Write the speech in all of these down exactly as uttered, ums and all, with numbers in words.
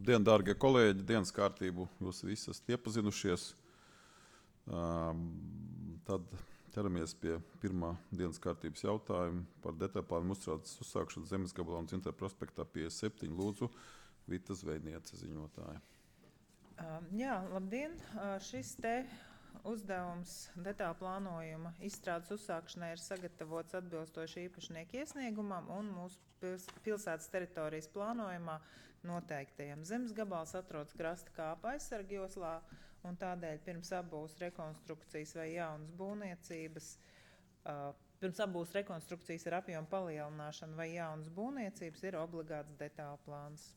Labdien, dārgie kolēģi, dienas kārtību jūs visi esat iepazinušies. Um, tad ķeramies pie pirmā dienas kārtības jautājuma par detaļplānu uzstrādes uzsākšanu Zemes gabalā un Dzintaru prospektā piecdesmit septiņi. Lūdzu, Vita Zvejniece, ziņotāja. Uh, jā, labdien! Uh, šis te uzdevums detāļu plānojuma izstrādes uzsākšanai ir sagatavots atbilstoši īpašnieku iesniegumam un mūsu pils, pilsētas teritorijas plānojumā noteiktajam. Zemes gabals atrodas krasta kāpa aizsarga joslā, un tādēļ pirms apbūves rekonstrukcijas vai jaunas būvniecības, uh, pirms apbūves rekonstrukcijas ar apjomu palielināšanu vai jaunas būvniecības ir obligāts detāļu plāns.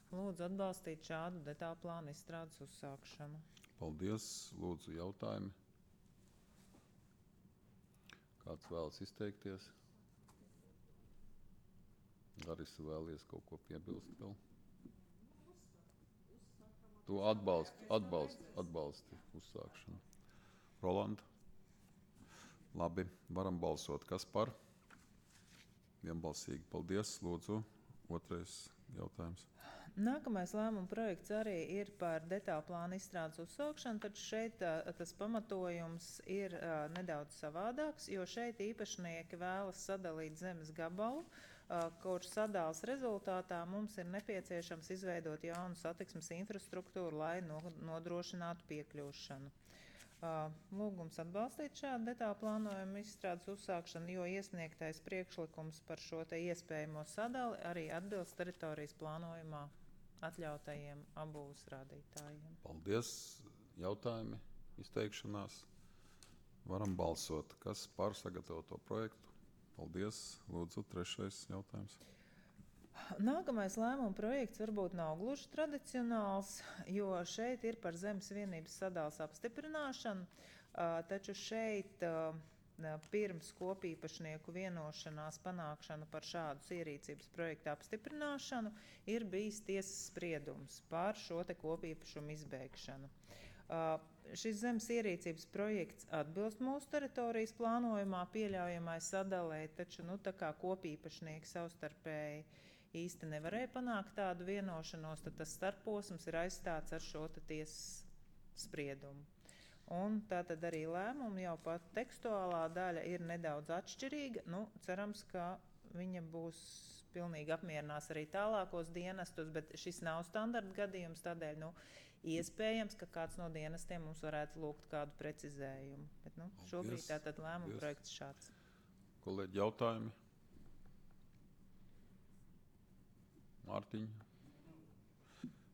Lūdzu atbalstīt šādu detāļu plānu izstrādes uzsākšanu. Paldies. Lūdzu, jautājumi. Kāds vēlas izteikties? Larisa, vēlies kaut ko piebilst vēl? Tu atbalsti, atbalsti, atbalsti uzsākšanu. Rolanda? Labi, varam balsot. Kas par? Vienbalsīgi. Paldies. Lūdzu, otrais jautājums. Nākamais lēmuma projekts arī ir par detāļu plānu izstrādes uzsākšanu, taču šeit uh, tas pamatojums ir uh, nedaudz savādāks, jo šeit īpašnieki vēlas sadalīt zemes gabalu, uh, kurš sadāles rezultātā mums ir nepieciešams izveidot jaunu satiksmes infrastruktūru, lai no, nodrošinātu piekļūšanu. Uh, lūgums atbalstīt šādu detāļu plānojumu izstrādes uzsākšanu, jo iesniegtais priekšlikums par šo te iespējamo sadali arī atbilst teritorijas plānojumā atļautajiem apbūves rādītājiem. Paldies. Jautājumi, izteikšanās. Varam balsot. Kas par sagatavoto projektu? Paldies. Lūdzu, trešais jautājums. Nākamais lēmuma projekts varbūt nav gluži tradicionāls, jo šeit ir par zemes vienības sadales apstiprināšanu, taču šeit pirms kopīpašnieku vienošanās panākšanu par šādu ierīcības projektu apstiprināšanu ir bijis tiesas spriedums par šo te kopīpašumu izbeigšanu. Uh, šis zemes ierīcības projekts atbilst mūsu teritorijas plānojumā pieļaujamai sadalē, taču nu, tā kā kopīpašnieki savstarpēji īsti nevarēja panākt tādu vienošanos, tad tas starposms ir aizstāts ar šo tiesas spriedumu. Un tā tad arī lēmumi jau pat tekstuālā daļa ir nedaudz atšķirīga. Nu, cerams, ka viņa būs pilnīgi apmierinās arī tālākos dienestus, bet šis nav standarta gadījums, tādēļ nu, iespējams, ka kāds no dienestiem mums varētu lūgt kādu precizējumu. Bet nu, šobrīd tātad lēmuma projekts šāds. Kolēģi, jautājumi? Mārtiņa?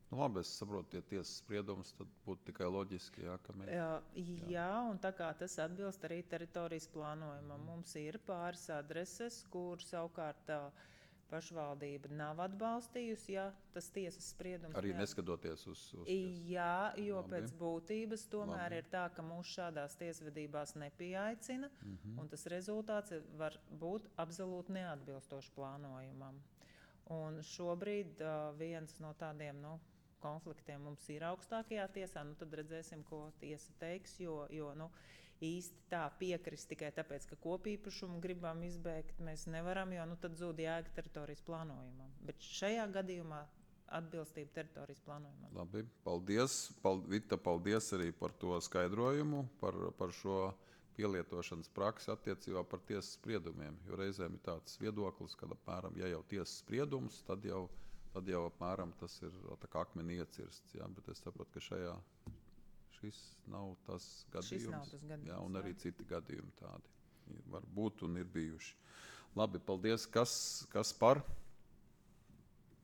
Nu, labi, es saprotu, tie tiesas spriedumus, tad būtu tikai loģiski, jā, ka mēs... Jā, jā. jā, un tā kā tas atbilst arī teritorijas plānojumam. Mums ir pāris adreses, kur savukārt pašvaldība nav atbalstījusi, ja tas tiesas spriedums... Arī neat... neskatoties uz... uz ties... Jā, jo labi. Pēc būtības tomēr Labi. Ir tā, ka mūs šādās tiesvedībās nepieaicina, mm-hmm. un tas rezultāts var būt absolūti neatbilstoši plānojumam. Un šobrīd uh, viens no tādiem nu, konfliktiem mums ir augstākajā tiesā, nu tad redzēsim, ko tiesa teiks, jo, jo nu, īsti tā piekrist tikai tāpēc, ka kopīpašumu gribam izbeigt, mēs nevaram, jo nu, tad zūd jēga teritorijas plānojumam. Bet šajā gadījumā atbilstība teritorijas plānojumam. Labi, paldies. Pal, Vita, paldies arī par to skaidrojumu, par, par šo pielietošanas praksi attiecībā par tiesas spriedumiem, jo reizēm ir tāds viedoklis, ka apmēram, ja jau tiesas spriedums, tad jau, tad jau apmēram tas ir tā kā akmeni iecirsts, jā, bet es saprotu, ka šajā šis nav tas gadījums. Šis nav tas gadījums, jā, un arī jā. citi gadījumi tādi var būt un ir bijuši. Labi, paldies. Kas, kas par?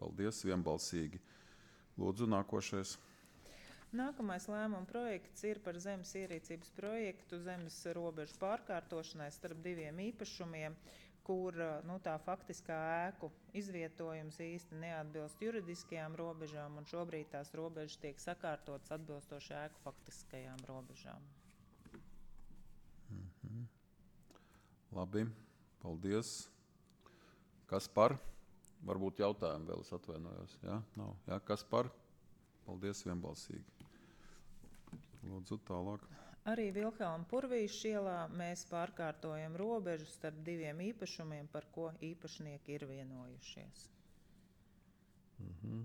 Paldies, vienbalsīgi. Lūdzu, nākošais. Nākamais lēmuma projekts ir par zemes ierīcības projektu zemes robežu pārkārtošanai starp diviem īpašumiem, kur nu, tā faktiskā ēku izvietojums īsti neatbilst juridiskajām robežām, un šobrīd tās robežas tiek sakārtotas atbilstoši ēku faktiskajām robežām. Mm-hmm. Labi, paldies. Kas par? Varbūt jautājumi vēl, es atvainojos. Jā, nav. Jā, kas par? Paldies, vienbalsīgi. Lūdzu, tālāk. Arī Vilhelma Purvīša ielā mēs pārkārtojam robežu starp diviem īpašumiem, par ko īpašnieki ir vienojušies. Mhm.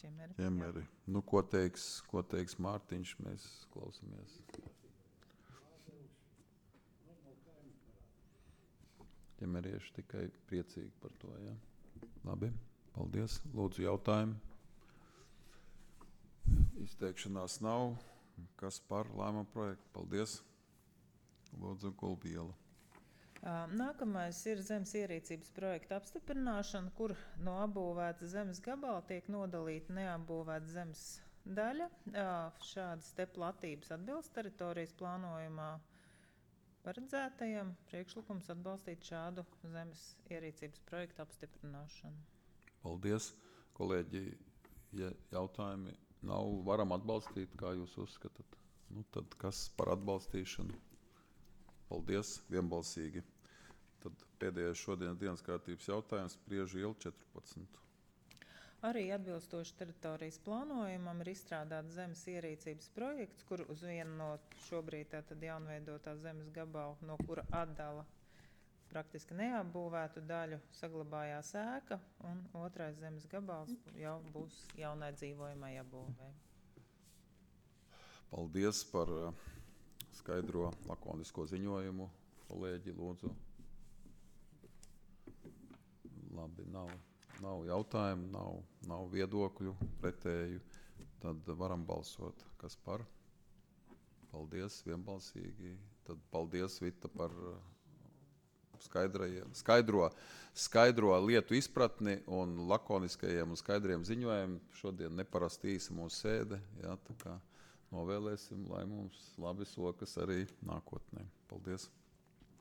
ķemeri. ķemeri. Nu, ko teiks, ko teiks Mārtiņš, mēs klausamies. Ķemerieši tikai priecīgi par to, jā. Labi, paldies. Lūdzu, jautājumi. Izteikšanās nav. Kas par lēmumu projektu? Paldies. Lūdzu, Gulbiela. Nākamais ir zemes ierīcības projekta apstiprināšana, kur no apbūvēta zemes gabala tiek nodalīta neapbūvēta zemes daļa. Šādas te platības atbilst teritorijas plānojumā paredzētajam. Priekšlikums atbalstīt šādu zemes ierīcības projektu apstiprināšanu. Paldies, kolēģi. Ja jautājumi nav, varam atbalstīt, kā jūs uzskatāt. Nu, tad kas par atbalstīšanu? Paldies, vienbalsīgi. Tad pēdējais šodienas dienas kārtības jautājums Priežu iela četrpadsmit. Arī atbilstoši teritorijas plānojumam ir izstrādāts zemes ierīcības projekts, kur uz vienu no šobrīd tātad jaunveidotā zemes gabalu, no kura atdala praktiski neapbūvētu daļu, saglabājās ēka, un otrais zemes gabals jau būs jaunai dzīvojamai apbūvē. Paldies par skaidro lakonisko ziņojumu. Kolēģi, lūdzu. Labi, nav, nav jautājumu, nav, nav viedokļu pretēju. Tad varam balsot. Kas par? Paldies, vienbalsīgi. Tad paldies, Vita, par skaidro, skaidro lietu izpratni un lakoniskajiem un skaidriem ziņojumiem. Šodien neparasti īsa mūsu sēde. Jā, tā kā novēlēsim, lai mums labi sokas arī nākotnē. Paldies!